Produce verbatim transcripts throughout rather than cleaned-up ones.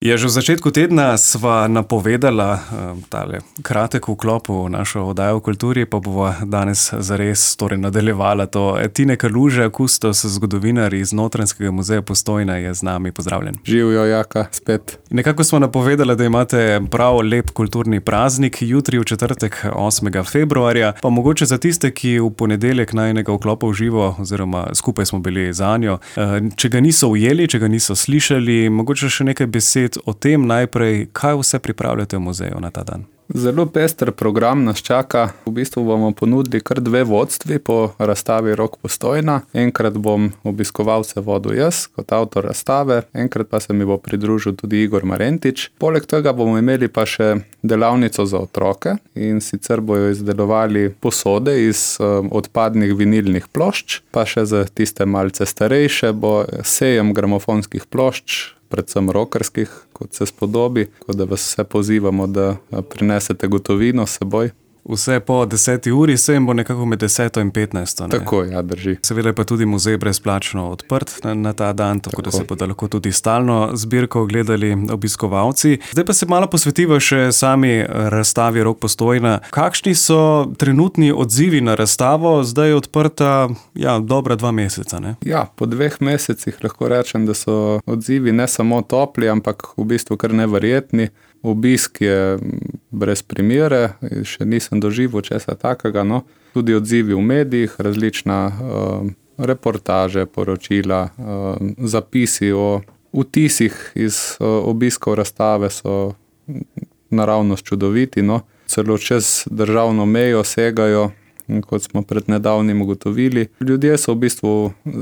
Ja, že v začetku tedna sva napovedala um, tale kratek vklop v našo oddajo o kulturi, pa bova danes zares torej nadaljevala to. Tine Kaluža, kustos, zgodovinar iz Notranjskega muzeja Postojna, je z nami. Pozdravljen. Živjo, Jaka, spet. Nekako smo napovedala, da imate prav lep kulturni praznik, jutri v četrtek osmega februarja, pa mogoče za tiste, ki v ponedeljek najinega vklopa v živo, oziroma skupaj smo bili zanjo, če ga niso ujeli, če ga niso slišali, mogoče še nekaj besed o tem najprej, kaj vse pripravljate v muzeju na ta dan. Zelo pester program nas čaka. V bistvu bomo ponudili kar dve vodstvi po razstavi Rok Postojna. Enkrat bom obiskovalce vodil jaz kot avtor razstave, enkrat pa se mi bo pridružil tudi Igor Marentič. Poleg tega bomo imeli pa še delavnico za otroke, in sicer bojo izdelovali posode iz um, odpadnih vinilnih plošč, pa še za tiste malce starejše bo sejem gramofonskih plošč, predvsem rokerskih, kot se spodobi, kot da vas vse pozivamo, da prinesete gotovino s seboj. Vse po deseti uri, sejem bo nekako med deseto in petnajsto. Ne? Tako, ja, drži. Seveda pa tudi muzej brezplačno odprt na, na ta dan, tako, tako da se bodo lahko tudi stalno zbirko gledali obiskovalci. Zdaj pa se malo posvetiva še sami razstavi Rok Postojna. Kakšni so trenutni odzivi na razstavo? Zdaj je odprta, ja, dobra dva meseca, ne? Ja, po dveh mesecih lahko rečem, da so odzivi ne samo topli, ampak v bistvu kar neverjetni. Obisk je brez primere, še nisem doživel česa takega, no. Tudi odzivi v medijih, različna uh, reportaže, poročila, uh, zapisi o vtisih iz uh, obiskov razstave so naravnost čudoviti, no. Celo čez državno mejo segajo, kot smo pred nedavnim ugotovili. Ljudje so v bistvu,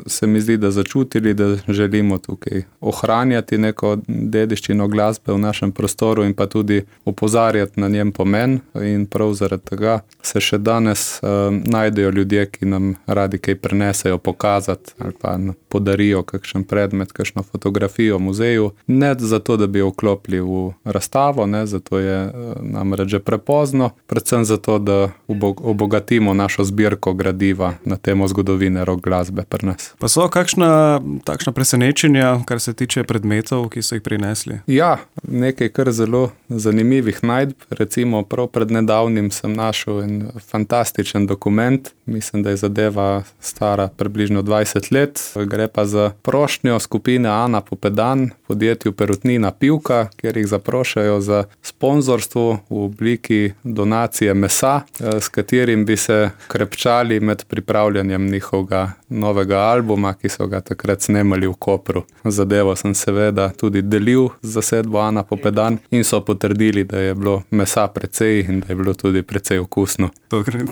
se mi zdi, da začutili, da želimo tukaj ohranjati neko dediščino glasbe v našem prostoru in pa tudi opozarjati na njen pomen, in prav zaradi tega se še danes uh, najdejo ljudje, ki nam radi kaj prinesejo pokazati ali pa podarijo kakšen predmet, kakšno fotografijo v muzeju. Ne zato, da bi jo vklopili v razstavo, ne, zato je uh, namreč že prepozno, predvsem zato, da obogatimo našo zbirko gradiva na temo zgodovine rock glasbe pri nas. Pa so kakšna takšna presenečenja, kar se tiče predmetov, ki so jih prinesli? Ja, nekaj kar zelo zanimivih najdb. Recimo prav pred nedavnim sem našel en fantastičen dokument. Mislim, da je zadeva stara približno dvajset let. Gre pa za prošnjo skupine Ana Popedan, podjetju Perutnina Pivka, kjer jih zaprošajo za sponzorstvo v obliki donacije mesa, s katerim bi se krepčali med pripravljanjem njihovega novega albuma, ki so ga takrat snemali v Kopru. Zadevo sem seveda tudi delil z zasedbo Ana Popedan in so potrdili, da je bilo mesa precej in da je bilo tudi precej okusno.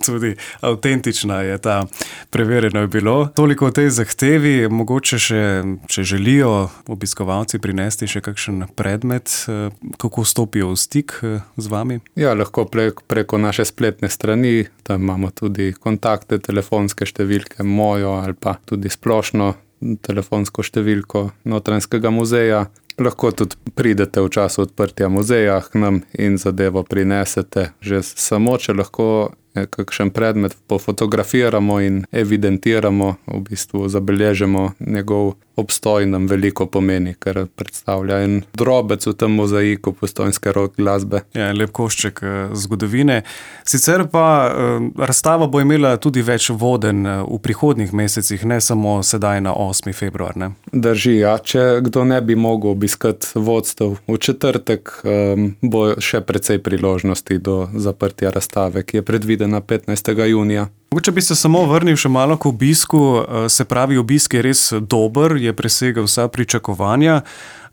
Tudi avtentična je ta, preverjeno je bilo. Toliko o tej zahtevi, mogoče še, če želijo obiskovalci prinesti še kakšen predmet, kako stopijo v stik z vami? Ja, lahko preko naše spletne strani, tam imamo tudi kontakte, telefonske številke, mojo ali pa tudi splošno telefonsko številko Notranjskega muzeja. Lahko tudi pridete v času odprtja muzeja k nam in zadevo prinesete. Že samo, če lahko kakšen predmet pofotografiramo in evidentiramo, v bistvu zabeležimo njegov obstoj, nam veliko pomeni, ker predstavlja en drobec v tem mozaiku postojnske rock glasbe. Ja, lep košček zgodovine. Sicer pa razstava bo imela tudi več vodenj v prihodnjih mesecih, ne samo sedaj na osmi februar, ne? Drži, ja. Če kdo ne bi mogel obiskati vodstev v četrtek, bo še precej priložnosti do zaprtja razstave, ki je predvidena petnajstega junija. Če bi se samo vrnil še malo k obisku, se pravi, obisk je res dober, je presegel vsa pričakovanja.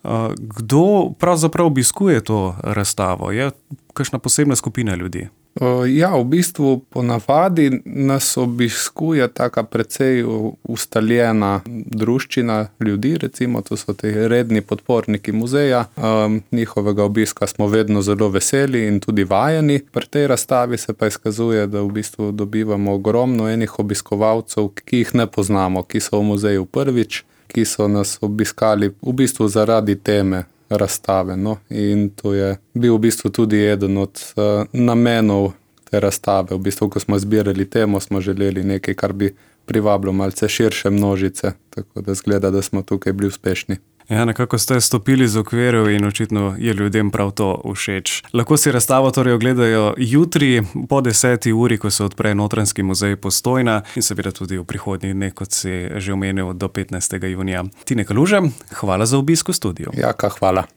Kdo pravzaprav obiskuje to razstavo? Je kakšna posebna skupina ljudi? Ja, v bistvu ponavadi nas obiskuje taka precej ustaljena druščina ljudi, recimo to so te redni podporniki muzeja. Um, njihovega obiska smo vedno zelo veseli in tudi vajeni. Pri tej razstavi se pa izkazuje, da v bistvu dobivamo ogromno enih obiskovalcev, ki jih ne poznamo, ki so v muzeju prvič, ki so nas obiskali v bistvu zaradi teme razstave, no, in to je bil v bistvu tudi eden od uh, namenov te razstave. V bistvu, ko smo zbirali temo, smo želeli nekaj, kar bi privabilo malce širše množice, tako da zgleda, da smo tukaj bili uspešni. Ja, nekako ste stopili z okvirov in očitno je ljudem prav to všeč. Lahko si razstavo torej ogledajo jutri po deseti uri, ko se odpre Notranjski muzej Postojna in seveda tudi v prihodnjih dneh, kot si že omenil, do petnajstega junija. Tine Kaluže, hvala za obisk v studiu. Jaka, hvala.